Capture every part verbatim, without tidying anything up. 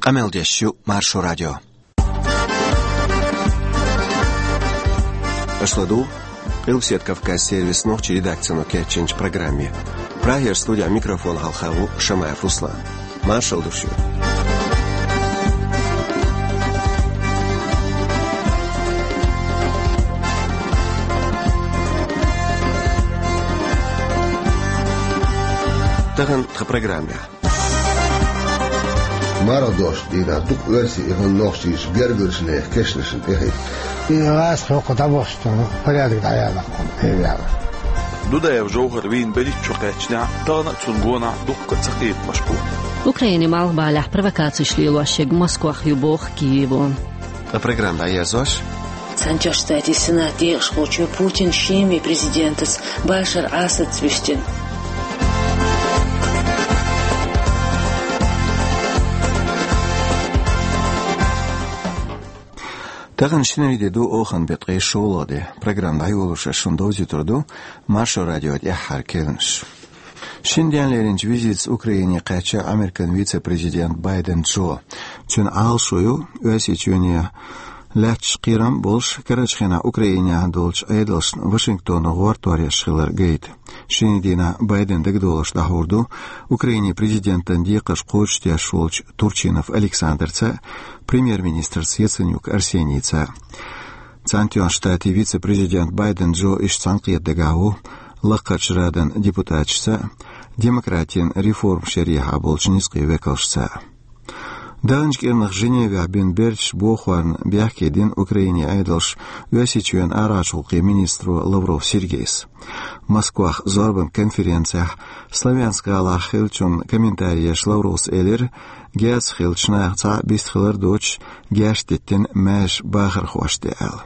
Къамел деш ю Маршо радио. Аша ладугӀу Къилбаседа Кавказ сервисан нохчийн редакцино кечйинчу программе. Прагера студехь микрофон хьалха ву Шамаев Руслан. Маршалла ду шуьга. Тахана тхан программехь. Марха дош дийнахь дукха оьрсийн и хӀун нохчийчу гергарчу нехан кешнашна тӀехӀитта. И гӀазкхи хӀокху дӀабахча порядок дӀаяла хьуна, хӀевяла. Дудаев Жовхар вийна берхӀитта шо кхаьчнехь, тахана а цунна гонахь дуккха а ца кхетамаш бу. Украинин малхбалехь провокацеш лелош ерг Москвах ю боху Киево. Ткъа программа дӀаерзош. Цхьаьнатоьхна Штатийн Сенат декъашхочо Путин шеман президентаца Башар Асадца вуьстина. Тахана шинарин де ду, оханан беттан ткъе шолгӀа де. Программа дӀайолош ас шуна довзуьйтур ду Маршо радион тӀаьххьара керланаш. Шина денна леринчу визитаца Украине кхаьчна Американ вице-президент Байден Джо. Цуьнан Ӏалашо ю Оьрсийчоьне лаьтташ кхерам а болуш, карарчу хенахь Украинехь долчу Ӏедалшна Вашингтоно гӀортор еш хилар гайта. Шинарин дийнахь Байден дагадовларш дӀахьур ду Украинин президентан декхарш кхочушдеш волчу Турчинов Александрца а, премьер-министрца Яценюк Арсенийца а. Цхьаьнатоьхначу Штатийн вице-президент Байден Джо иштта цхьаьнакхета дагахь ву Лакхарчу Радан депутаташца а, демократийн реформаш ярехьа болчу низкъийн векалшца а. Даханчу кӀирнах Женевехь бина берташ бохорна бехке дина Украинин Ӏедалша Оьрсийчоьнан арахьарчу гӀуллакхийн министро Лавров Сергейс. Москвахь зорбан конференцехь Славянск-гӀалахь хиллачунна комментари еш Лавровс элира, герзах хиллачу наха цхьаъ бист хилар доцуш, герзаш диттина маьрша бахархошна тӀе аьлла.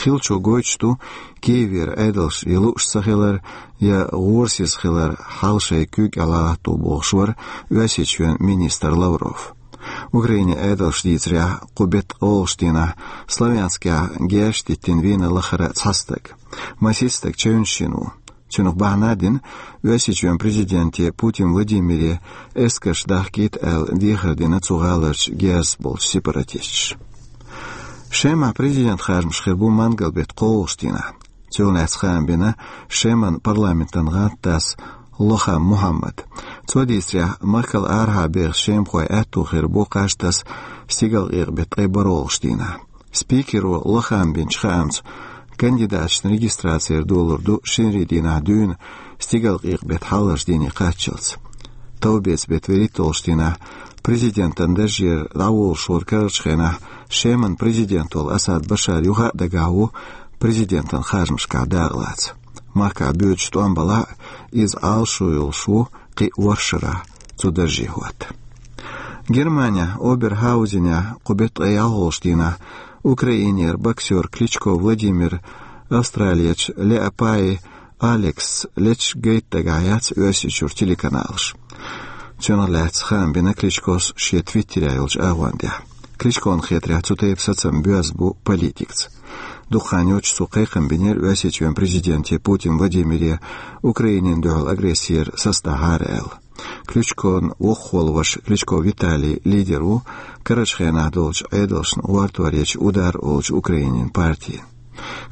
Хиллачо гойтуш ду Киевера Ӏедалша я лууш ца хилар, я гӀорасиз хилар хьал шайн куьйга тӀехь латтаво бохуш вара Оьрсийчоьнан министр Лавров. Украинин Ӏедалша дийцарехь, кху беттан къолгӀачу дийнахь Славянскехь герзаш диттина вийна лахара цхьа стаг. Масех стаг чевнаш йина ву. Цунах бахьана а дина, Оьрсийчоьнан президенте Путин Владимире эскарш дахкийта аьлла дехар дина цу гӀаларчу герз болчу сепаратисташа. Шемахь президент харжамаш хир бу мангал беттан кхоалгӀачу дийнахь. Цунах лаьцна хаам бина Шеман парламентан гӀантдас Лохам Мухьаммада. Цо дийцарехь, махкал арахьа беха шемахой аьтто хир бу кхаж таса стигалкъекъа беттан ткъе бархӀалгӀачу дийнахь. Спикеро Лохама бинчу хаамца, кандидаташна регистраци долур ду шинарин дийнахь дуьйна стигалкъекъа беттан хьалхарчу дийне кхаччалц. Товбеца беттан вуьрхӀитталгӀачу дийнахь президентан даржера дӀаволуш волу карарчу хенахь Шеман президент волу Асад Башар юха а дагахь ву президентан харжамашкахь дакъалаца. Махкахь боьдуш тӀом балахь а, иза Ӏалашо йолуш ву кхин а ворхӀ шарахь цу дарже хӀотта. Германехь Оберхаузенехь кху беттан ткъе ялхалгӀачу дийнахь Украинера боксер Кличко Владимир австралерчу Леопаи Алексца леташ гайта дагахь яц Оьрсийчуьра телеканалаша. Цунах лаьцна хаам бина Кличкос шен твиттерехь йолчу агӀондехь. Кличкона хетарехь, цу тайпа сацам боьзна бу политикаца. Дукха хан йоццуш цо кхайкхам бинера Оьрсийчоьнан президенте Путин Владимире Украинина дуьхьал агрессера сацадахьара аьлла. Кличкон воккхахволу ваша Кличко Виталий лидер ву карарчу хенахь долчу Ӏедалшна гӀортор ечу «Удар» олучу Украинин партин.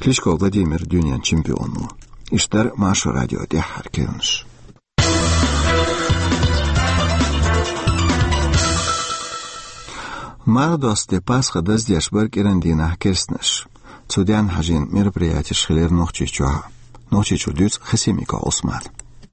Кличко Владимир дуьненан чемпион ву. Иштта дара Маршо радион тӀаьххьара керланаш. Марха досту де Пасха даздеш бара кӀиран дийнахь керстанаша. Цу денна хьажийна мероприятеш хилира Нохчийчохь а. Нохчийчуьра дуьйцу Хасимиков Ӏусмана.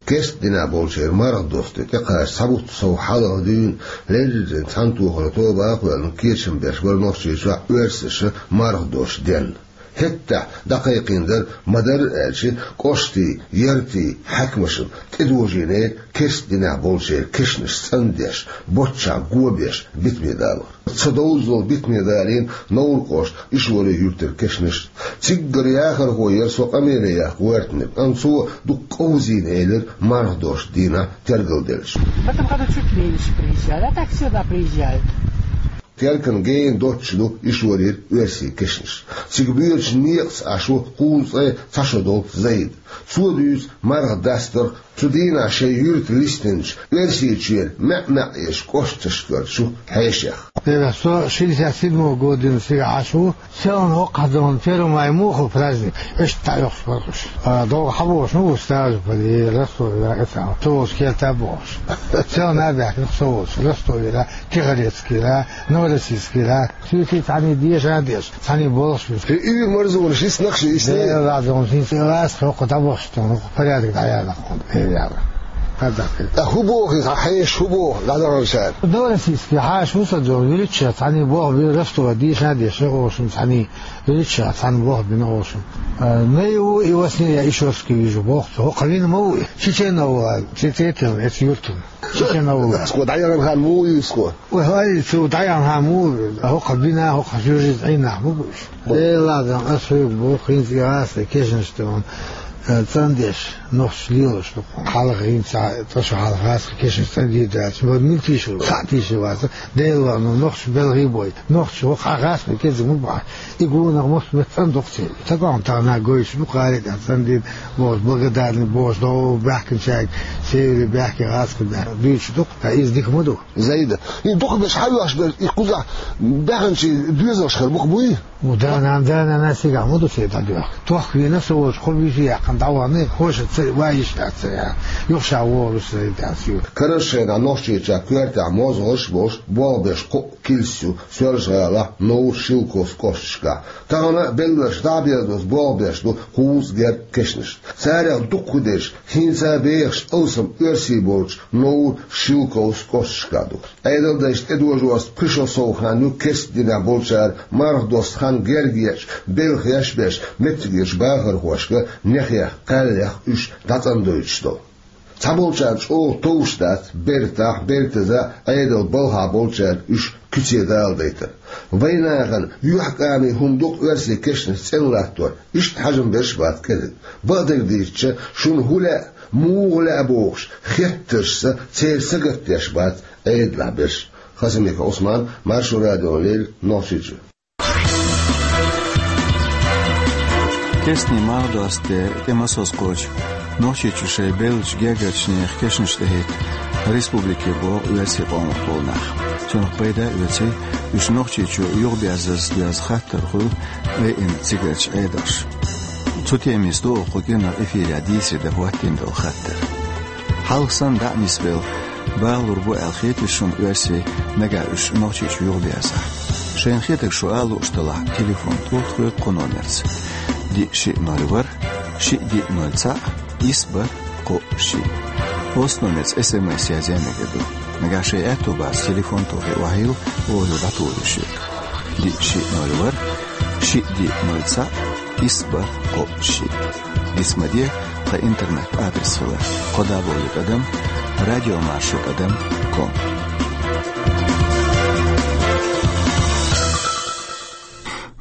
Керста дийнахь болчеран марха досту де тӀекхача цхьа бутт сов хьалха дуьйна леррина цхьаьнатохаран тоба а кхоьллина кечам беш бара Нохчийчохь оьрсаша марха досту денна. ХӀетахь дӀакхайкхийна дара, ма-дарра аьлча, кӀоштий, яртий хьаькамашна тӀедожийнера керста дийнахь болчеран кешнаш цӀандеш, боччахь го беш битаме далор. Ца довза долу битаме далийна Новр-кӀоштан Ишвари-Юьртара кешнаш. Циггара яхархо яра со къамеле яккха гӀоьртинарг, амма цо дукха къовзийна элира марха досту дийнахь тергалделча. В этом году чуть меньше приезжали, а так всегда приезжают. Теркан гена доццуш ду Ишварера оьрсийн кешнаш. Цига боьдучу некъаца Ӏаш ву кхузткъе цхьа шо долу Зайд. Цо дуьйцу марха дастарх Цу дийнахь шайн юьрта листинчу Оьрсийчуьра маьӀ-маьӀ еш кӀошташкара чу хьешех. Эра, со шестьдесят седьмого года дина цига Ӏаш ву, селхана хӀокхузахь Первомай муха праздник, иштта дӀаоьхуш бара уьш. А, догӀу хьан бохуш, ну, ву стажа пали, Ростовера, эцахь, со волчу керта бохуш. Селхана а баьхкина, со волчу, Ростовера, Тихорецкера, Новороссийскера. Суьйти цхьаьний деша а деш, цхьаьний болуш ву. Хи уьйр марзонаш йиснах ши йисна? Дела дон хӀинца ласта хӀокху дӀабахча тхуна, хӀокху порядок дӀаяьннах хӀуна, Дела яла. Кадахи. Ткъа хӀун боху иза, хьан хьеша хӀун боху, дӀадаханчара? Новороссийский хьаша ву сан зо, виличча цхьаьний болх бира Ростова деша а деш, хӀокху шун цхьаьний виличча цхьаьна болх бина хӀокху шун. Э, най ву и во сне я Ишорский вижу, боху цо, хӀокху вина ма ву и. Чечена ву, цецетел, эц юртун. Чечена ву. Аско дӀаяхана хан муха ю ско? Ой, хӀай, цу дӀаяхьа муха, хӀокху бина, хӀокху жуьжица Ӏийнахь ма бу уьш. Дела дон, ас хьоьга боху, хӀинца и гӀазкхи кешнаш тӀе ван, э, цӀандеш, нохчаш лелош ду. Хьалха хӀинца, тӀаьхьа хьалха гӀазкхи кешнаш цӀандийр дац, ма мила тийшар, цхьаъ тийшар вац, Дела ван, нохчаш белхий бой. Нохчаш хӀокху гӀазкхи кӀезиг ма бахьа. И гонах мохк меттан дукха цӀе. Тагам тахана гойтуш ду, кхари тӀехь цӀандийр, бохуш, благодарный бохуш, догӀу баьхкинчаьрга, севри баьхки гӀазкхи баьхки. Дуьйцуш ду, ткъа иза дика ма ду. Зайда, и дукха берш хьан веш берш, и кхузахь баьхначийн доьзалш хир бу-кх буй? У, да-нана, да-нана, сигахь ма ду се дӀадоьху. Тохка вийна со волчу кхо вижи яьккхина дӀавахана, хӀоша ца вайиш яц ца яхьа. Юха ша вогӀуш Зайда яц ю. Карарчу шайнахь Нохчийчохь коьртехь мозгӀарш а болуш, болх беш кхоъ килс ю Соьлжа-ГӀалахь, Новр, Шелковски кӀошташкахь. Тахана а белларш дӀа а беза доцу болх беш ду кхузткъа гергга кешнашна. Царах дукхахдерш хӀинца а бехаш алсам оьрсий болчу Новр, Шелковски кӀошташкахь ду. Ӏедалдайшна тӀедожорца пхи шо сов хан ю керста динехь болчара марха досту хан герга ечу, белхаш беш, меттигерчу бахархошка нехех, кхаьллех уьш дӀацӀандойтуш долу. Цхьаболчарна чӀогӀа товш дац бертахь, бертаза Ӏедалан балхахь болчаьрга уьш куьце даладайтар. Вайн нахана юьхькӀаме хӀума ду-кх оьрсийн кешнаш цӀена латтор, иштта хьажам берш а бац кӀезиг. Бакъдерг дийцича, шуна хӀун лаьа, муха лаьа бохуш, хеттаршца церан сагатдеш бац Ӏедалехь берш. Хасимиков Ӏусман, Маршо радиона леррина, Нохчийчоь. Кестний марха досту де тӀе масазза кхочу Нохчийчу шайн беллачу гергарчу нехан кешнаш тӀехӀитта республике богӀу оьрсийн къомах болу нах. Цунах пайда а оьций, уьш Нохчийчу юхаберзаза доьзна хаттар хуьлу айина цигарчу Ӏедалша. Цу темица ду оха кху кӀиранах эфирехь дийцаре дан хӀоттийна долу хаттар. Хьалха санна дӀа а нисбелла, балалур бу аьлла хетий шуна оьрсий, нагахь уьш Нохчийчу юхаберзахь? Шайна хетарг шу ала лууш делахь, телефон тӀулгӀа тхоьга кху номерца: диъ шиъ ноль ворхӀ, шиъ диъ ноль цхьаъ, исс бархӀ кхоъ шиъ. Оцу номерца эс эм эс язъян мегар ду. Нагахь шайн аьтто бац телефон тухий охьайилла, оха дӀатухур ю шуьга. Диъ шиъ ноль ворхӀ, шиъ диъ ноль цхьаъ, исс бархӀ кхоъ шиъ. Диц ма де, тхан интернет-адрес хилар: кхо дабл ю тӀадам радиомаршо тӀадам ком.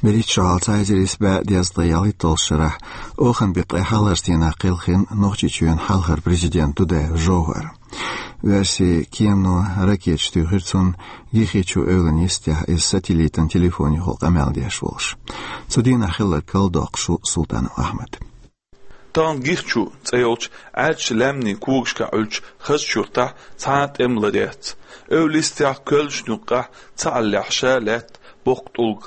БерхӀитта шо хьалха цхьа эзар исс бӀе дезткъе ялхитталгӀачу шарахь, оханан беттан ткъе хьалхарчу дийнахь кхелхина Нохчийчоьнан хьалхара президент Дудаев Жовхар. Оьрсийн кемано ракеташ туьйхира цунна, Гихичу эвлан йистехь, иза сателлитан телефон юкъахь къамел деш волуш. Цу дийнахь хилларг карладоккхуш ву Султанов Ахьмад. Тахана Гихчу цӀе йолчу Ӏаьржачу лаьмнийн когашкахь Ӏуьллучу хазачу юьртахь цхьа а тӀем ларъяц. Эвла йистехь, коьллашна юккъехь цхьааллехь ша лаьтта боккха тӀулг.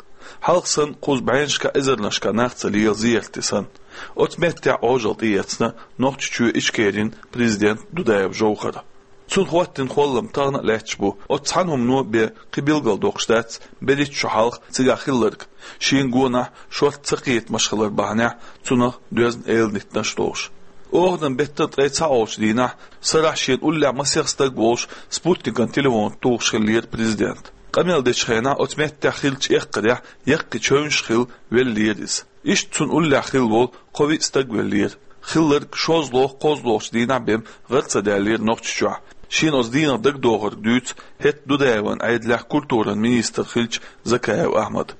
Хьалха санна, кхуза бӀеннашкахь, эзарнашкахь нах ца лела зерате санна. Оцу меттехь Ӏожалла тӀеэцна Нохчийчоь Ичкерин президент Дудаев Жовхара. Цунна хӀоттийна холлам тахана а лаьтташ бу. Оцу цхьана хӀумано бен кхин билгалдоккхуш дац берхӀитта шо хьалха цигахь хилларг, шена гонахь шортта цакхетамаш хилар бахьанехь цунах доьзна эладитанаш долуш. Оханан беттан ткъе цхьаолгӀачу дийнахь, сарахь шена уллехь масех стаг волуш, спутникан телефон тухуш хиллера президент. Къамел дечу хенахь оцу меттехь хиллачу эккхарехь яккхий чевнаш а хилла веллера иза. Иштта цунна уллехь хилла волу кхо-виъ стаг веллера. Хилларг шозлагӀа-кхозлагӀчу дийнахь бен гӀара ца даьллера Нохчийчохь. Шена оцу дийнах дагадогӀург дуьйцу хӀетахь Дудаевн Ӏедалехь культуран министр хиллачу Закаев Ахьмада.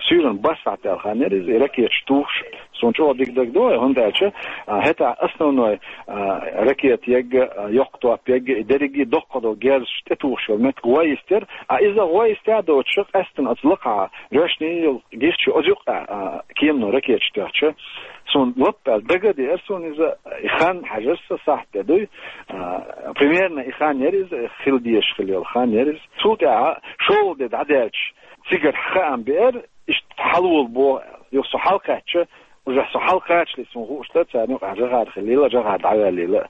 Суьйранна бархӀ сахьт аьлла хан яра иза, и ракеташ тухуш. Суна чӀогӀа дика дагадогӀу, хӀунда аьлча, а, хӀетахь основной, а, ракета ягга, а, йоккха топ ягга, и дерриге доккха долу герзаш тӀетухуш йолу меттиг гӀо йистера, а иза гӀо йистехь доцуш, къаьстина оцу лакхахь, жоьжахати йолу герз чу оцу юккъехь, а, кемано ракеташ тоьхча, суна лаппаьлла дага а деара суна иза, и хан хьажар сан сахьт де дуй, а, примерно и хан яра иза, хила дезаш хила йолу хан яра иза. Цул тӀаьхьа шолгӀа де дӀадаьлча, цигара хаам беара, иштта хьалаволу боху, юха со хьалакхаьчча, уже со хьалакхачале суна хууш дара, царна юкъахь жагӀар хилийла, жагӀар дӀаваьллийла.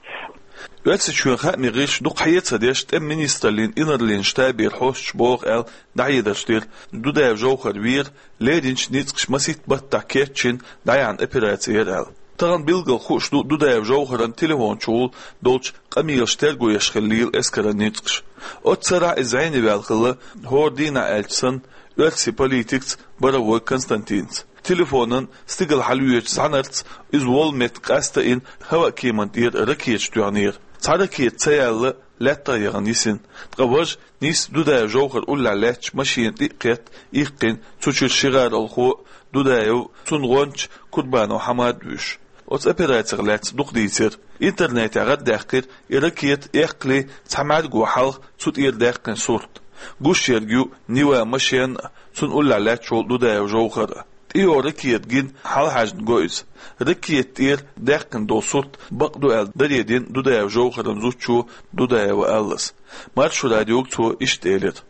Оьрсийчоьнан хааман гӀирсаша дукха хьеца а деш, тӀеман министраллин инарлин штабера хьосташа боху аьлла, дӀахьедарш дира, Дудаев Жовхар вера, леринчу ницкъаша масийтта баттахь кечйина дӀаяьхьна операци яра аьлла. Тахана билггал хууш ду Дудаев Жовхаран телефон чухула долчу къамелаш терго еш хиллийла эскаран ницкъаша. Оццу сарахь иза зӀене ваьлла хилла, хӀора дийнахь аьлча санна, оьрсийн политикца Боровой Константинца. Телефонан стигала хьалаоьцучу зӀаьнарца иза волу меттиг къаста а йина, хӀаваан кеманна тӀера ракеташ тоьхнера. Цхьа ракета ца яьлла, лаьттах а яхана йисина. Ткъа важа, нийсса Дудаев Жовхар уллехь лаьттачу машенан тӀе а кхетта, иккхина, цу чуьра ши гӀаролхо а, Дудаев а, цуьнан гӀонча Курбанов Хьамад а вуьйш. Оцу операцех лаьцна дукха дийцира. Интернетехь гӀардаьккхира и ракета эккхале цхьа мӀаьрго хьалха цу тӀера даьккхина сурт. Гуш ерг ю Нива машен а, цунна уллехь лаьтташ волу Дудаев Жовхар а. ТӀейогӀу ракета гина хьалахьаьжна го иза. Ракета тӀера даьккхина долу сурт бакъ ду аьлла, даре дина Дудаев Жовхаран зудчо Дудаева Аллас. Маршо радиога цо иштта элира.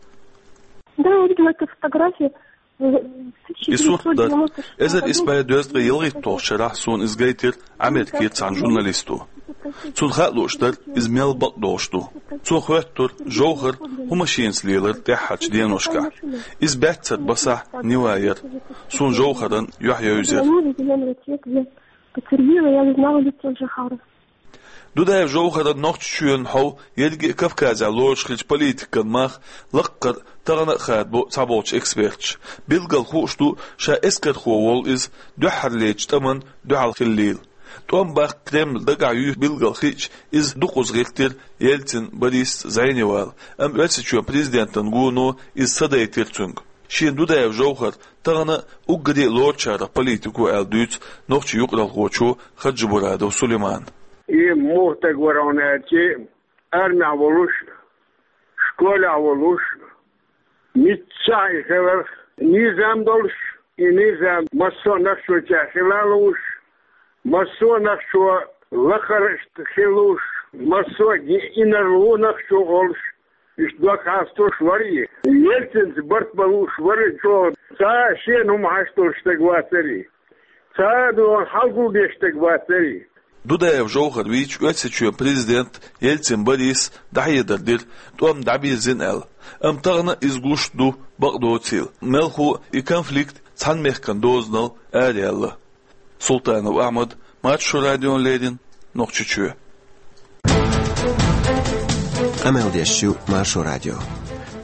Да, я видела эту фотографию. И сурт дара. Эзар исс бӀе дезткъе ялхитталгӀачу шарахь суна иза гайтира Америкера цхьана журналисто. Цунна хаа лууш дара, иза мел бакъдолуш ду. Цо хоьттура, Жовхар хӀун машенаца лелара тӀаьххьарчу деношкахь. Иза баьццара басахь Нива яра. Суна Жовхаран юьхь евзира. Потерпела, я не знала лицо Жохара. Дудаев Жовхаран Нохчийчоьнан хьов ерриге а Кавказехь лоруш хиллачу политикан мах лаккхара тахана а хадабо цхьаболчу эксперташа. Билггал хууш ду, ша эскархо волу иза дуьххьарлечу тӀамна дуьхьал хиллийла. ТӀом баккха Кремль дагахь юьйху билггал хиъча, иза дукхаза гӀиртира Ельцин Борисца зӀене вала, амма Оьрсийчоьнан президентана гоно иза садайтира цуьнга. Шена Дудаев Жовхар тахана а уггаре а лоручарах политико аьлла дуьйцу нохчийн юкъаралхочо Хаджимурадов Сулеймана. И муха стаг вара хьуна аьлча, армехь волуш, школехь волуш, миччахь и хиларх, низам долуш, и низам массо а нохчочехь хила лууш, массо а нохчо лакхара хила лууш, массо а инарла ву нохчо олуш, иштта дог хьасталуш вара и. Ельцинца барт бан лууш вара и чӀогӀа. Цхьа а шена хӀума хьашт долуш стаг вацара и. Цхьа а догӀан хьалгулдеш стаг вацара и. Дудаев Жовхар вийча, Оьрсийчоьнан президент Ельцин Борис дӀахьедар дира, тӀом дӀабирзина аьлла. Амма тахана иза гуш ду, бакъ доцийла, мелхо а и конфликт цхьана мехкан дозанал араяьлла. Султанов Ахьмад, Маршо радиона леррина, Нохчийчоь. Къамел деш ю Маршо радио.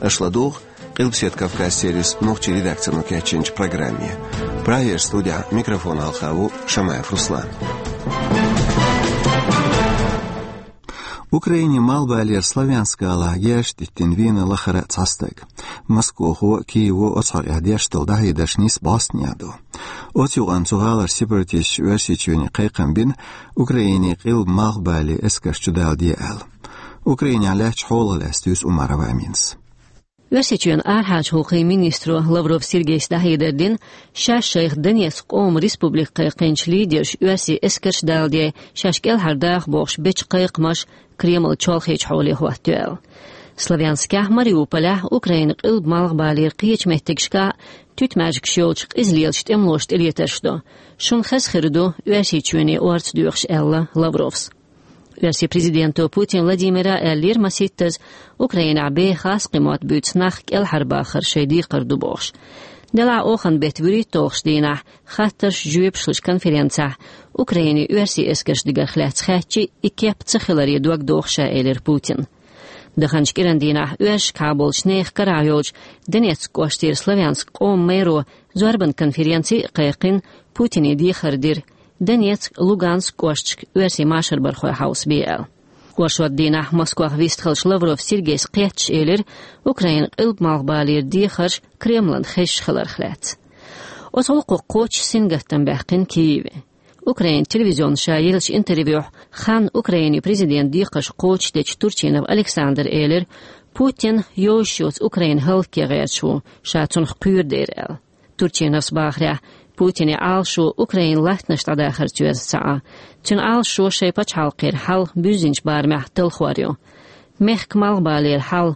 Аша ладугӀу Къилбаседа Кавказ сервисан нохчийн редакцино кечйинчу программе. Прагера студехь микрофон хьалха ву Шамаев Руслан. Украинин малхбалера Славянск-гӀалахь герзаш диттина вийна лахара цхьа стаг. Москвахо а, Киево а оцу хьокъехь деш долу дӀахьедарш нисса бӀостанехьа ду. Оцу юкъанна цу гӀаларчу сепаратисташа Оьрсийчоьне кхайкхам бина, Украинин къилба малхбален эскарш чудаладе аьлла. Украинехь лаьттачу хьолах лаьцна дуьйцу Умарова Аминас. Оьрсийчоьнан арахьарчу гӀуллакхийн министро Лавров Сергейс дӀахьедар дина, шаьш шайх Донецк къоман республика кхайкхинчу лидерша оьрсийн эскарш даладей, шаьш кӀелхьардаха бохуш бечу кхайкхамаш Кремль чолхечу хьоле хӀоттайо аьлла. Славянскехь, Мариуполехь, Украинан къилба малхбалера кхечу меттигашкахь туьтмаьжгаш йолчу къиза лелачу тӀемалоша тӀелетарш до. Шуна хаза хир ду Оьрсийчоьне орца доьхуш, аьлла Лавровс. Оьрсийн президенто Путин Владимира аьллера масийттаза, Украинехь бехас кхин мотт буьйцу нах кӀелхьарбахар шайн декхар ду бохуш. Делахь оханан беттан вуьрхӀитталгӀачу дийнахь хаттарш, жоьпаш лучу конференцехь Украинин оьрсийн эскарш дигарх лаьцна хаьттича, и кеп ца хиларе дог доху ша, элира Путина. Даханчу кӀиран дийнахь оьрсашкахьа болчу нехан карахь йолчу Донецк кӀоштера Славянск къоман мэро зорбан конференци а кхайкхина, Путине дехар дира, Донецк, Луганск кӀошташка оьрсийн машарбархой хьовсабе аьлла. Оршот дийнахь Москвахь вистхиллачу Лавров Сергейс кхетташ элира Украинан къилба малхбалера дехарш Кремлан хезаш хиларх лаьцна. Оцу гӀуллакхо кхочуш сингаттам баьккхина Киеве. Украин телевизионе ша еллачу интервьюхь ханна Украинин президентан декхарш кхочушдечу Турчинов Александра элира, Путин йозуш йоцу Украина хӀаллакьхилар гӀерташ ву, ша цунах кхоьру дера аьлла. Турчиновс бахарехь, Путинан Ӏалашо Украинан латтанаш дӀадахарца йоьзна ца Ӏа. Цуьнан Ӏалашо шайн пачхьалкхера хьал буьззинчу барамехь талхор ю. Мехкан малхбалера хьал,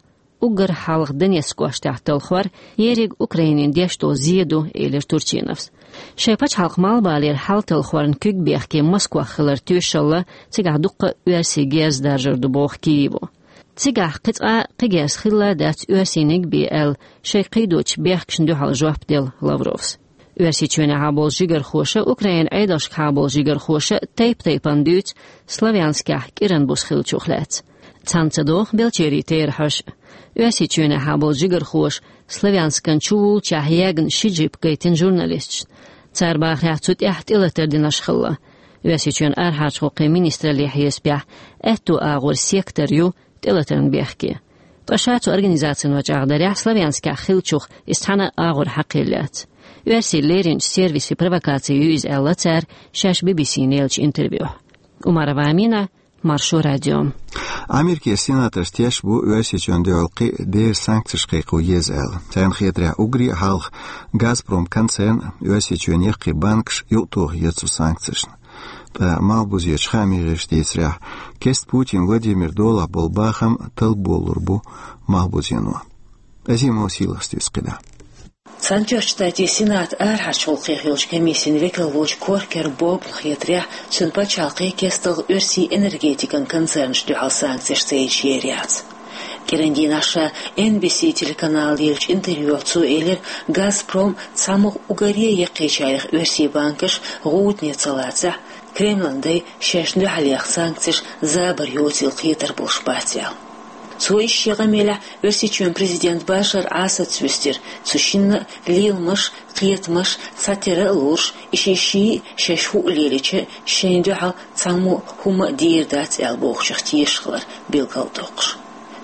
уггар хьалха Донецк кӀоштахь талхор, ерриг Украинина деш долу зе ду, элира Турчиновс. Шайн пачхьалкхан малхбалера хьал талхорна куьг бехке Москох хилар тоьшалла, цигахь дуккха а оьрсийн герз даржар ду, боху Киево. Цигахь кхин цкъа а кхин герз хилла дац оьрсийниг бен аьлла, шайн кхийдочу бехкашна дуьхьал жоп делла Лавровс. Оьрсийчоьнехьа болу жигархоша, Украинан Ӏедалшкахьа болу жигархоша тайп-тайпана дуьйцу Славянскехь кӀиран буса хиллачух лаьцна. Цхьаьна ца догӀу Белчерин терахьаш. Оьрсийчоьнехьа болу жигархоша Славянскан чувуллучохь ягна ши джип гайтина журналисташна. Цара бахарехь, цу тӀехь тӀелатар динарш хилла. Оьрсийчоьнан арахьарчу гӀуллакхийн министраллин хьесапехь, аьтту агӀор сектор ю тӀелатарна бехке. Ткъа ша цу организацино чӀагӀдарехь, Славянскехь хиллачух иза цхьана а агӀор хьакхийлла яц. Оьрсийна леринчу сервисан провокаци ю иза аьлла цара шаьш Би-Би-Сина еллачу интервьюхь. Умарова Амина, Маршо радио. Америкин сенаторш тешна бу Оьрсийчоьнна дуьхьал кхин а дера санкцеш кхайкхо еза аьлла. Царна хетарехь, уггаре а хьалха «Газпром» концерн Оьрсийчоьнан яккхий банкаш юкъатоха еза цу санкцешна. Ткъа малхбузерчу хааман гӀирсаша дийцарехь, кеста Путин Владимиран долахь болу бахам талболур бу малхбузено. Азимов Сийлахьс дуьйцу кхидӀа. Цхьаьнатоьхначу Штатийн Сенатан арахьарчу гӀуллакхийн хиллачу комиссин векал волчу Коркер Бобна хетарехь, цуьнан пачхьалкхе кестта оьрсийн энергетикан концернашна дуьхьал санкцеш ца еш ер яц. КӀиран дийнахь ша Эн Би Си телеканале еллачу интервьюхь цо элира, «Газпром» цхьамогӀа уггаре а яккхийчарех оьрсийн банкаш гӀудане ца лацахь, Кремлан дай шаьшна дуьхьал яхна санкцеш забар йоцийла кхетар болуш бац аьлла. Цо иштта шен къамелехь Оьрсийчоьнан президент Башар Асадс вуьстира, цу шинна а леламаш, кхетамаш цхьатера а лоруш, и шиъ шиъ а шаьш хӀуъа лелийча а, шайна дуьхьал цхьаммо а хӀума а дийр дац аьлла бохучух тешаш хилар билгалдоккхуш.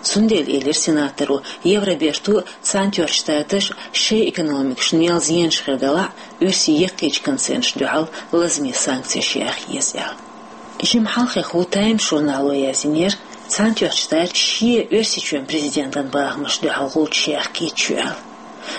Цундела, элира сенаторо, Евроберто а, Цхьаьнатоьхначу Штаташа шайн экономикашна мел зенаш хир делахь а, оьрсийн яккхийчу концернашна дуьхьал лазаме санкцеш яха еза аьлла. Жимма хьалхе хӀу Таймс журнало яздинера, Цхьаьнатоьхначу Штаташа шен Оьрсийчоьнан президентан бахамашна дуьхьал гӀулчаш яха кийча ю аьлла.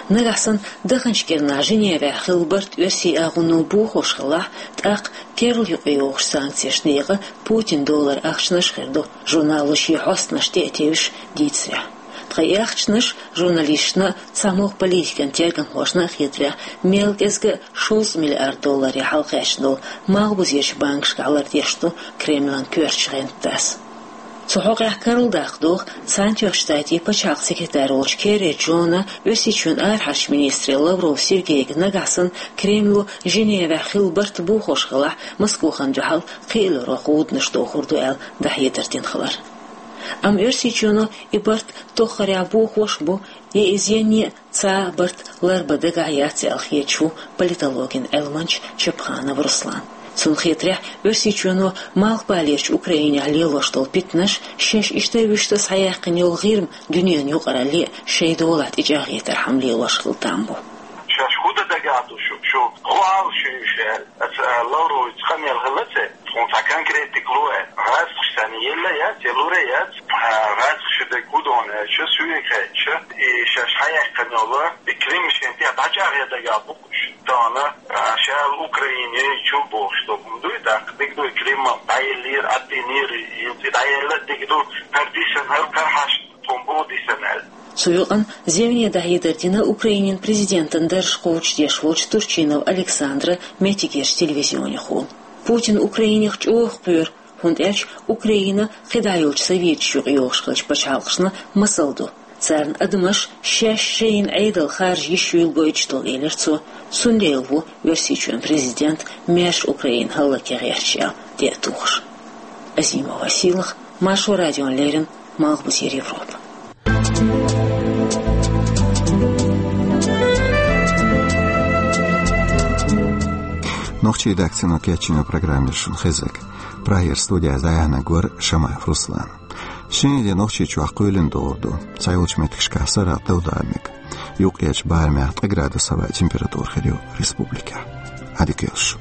Нагахь санна даханчу кӀирнахь Женевехь хилла барт оьрсийн агӀоно бохош хилахь, тӀаккха керла юкъайогӀучу санкцешна декъа Путинан долларан ахчанаш а хир ду, журнало шен хьостанаш тӀе а тевжаш дийцарехь. Ткъа и ахчанаш, журналисташна а, цхьамогӀа политикан тергамхошна а хетарехь, мел кӀезга а шовзткъа миллиард долларе хьалакхаьчна долу малхбузерчу банкашкахь лардеш ду Кремлан коьртачу гӀенташа. Цу хьокъехь карладаккха догӀу Цхьаьнатоьхначу Штатийн пачхьалкхан секретарь волчу Керри Джона, Оьрсийчоьнан арахьарчу министре Лавров Сергейга нагахь санна Кремло Женевехь хилла барт бохош хилахь, Москохана дуьхьал кхиалур ву гӀуданаш дохур ду аьлла дӀахьедар дина хилар. Амма Оьрсийчоьно и барт тоххарехь бохош а бу, я иза енне а цхьа а барт ларбан дагахь яц аьлла хеташ ву политологин Ӏилманча Чапханов Руслан. Цунна хетарехь, Оьрсийчоьно малхбалерчу Украинехь лелош долу питанаш, шаьш иштта а вуьшта а схьаяьккхина йолу ГӀирма дуьненан юкъаралле а шайн долахь тӀечӀагӀъятархьама лелош хила там бу. Шаьш хӀун дан дагахь ду шу, шу хӀун ала шу уьш аьлла? Аса Лавровица къамел хилла ца? Тхуна цхьа конкретика ло аьлла. ГӀазкхаша санна елла яц, я лур а яц, а, гӀазкхаша дерг хӀун ду аьлча, суьйга хаьттича, и шаьш хьаяьккхина йолу, и Крим шен тӀе дӀачӀагӀъян дагахь бу-кх уьш. Тахана, а, шаьлла Украине чу бохуш долу хӀума дуй, тӀаккха дика дуй, Крим дӀаеллера, Ӏаттийнера, и дӀаелла дика ду, хӀара дисина, хӀара кхархьаш тхуна бу дисина аьлла. Цу юкъана зевне дӀахьедар дина Украинин президентан дарж кхочушдеш волчу Турчинов Александра меттигерчу телевизионехула. Путин Украинех чӀогӀа кхоьру, хӀунда аьлча Украина кхидӀа йолчу советаш юкъайогӀуш хиллачу пачхьалкхашна масал ду. Царна адамаш шаьш шайна Ӏедал харжа йиш юйла гойтуш долу, элира цо. Цундела ву Оьрсийчоьнан президент маьрша Украина хӀаллакьхилар гӀерташ аьлла тӀе а тухуш. Азимова Сийлахь, Маршо радиона леррина, Малхбузера Европа. Нохчийн редакцино кечйинчу программера шуна хезарг. Прагера студехь дӀаяьхьнарг вара Шамаев Руслан. Шина де Нохчийчохь кхоьлина догӀур ду, цхьайолчу меттигашкахь сарахь дов даа мега. Юкъерчу барамехь ткъа градус хьалха температура хир ю республикехь. Ӏадика йойла шун.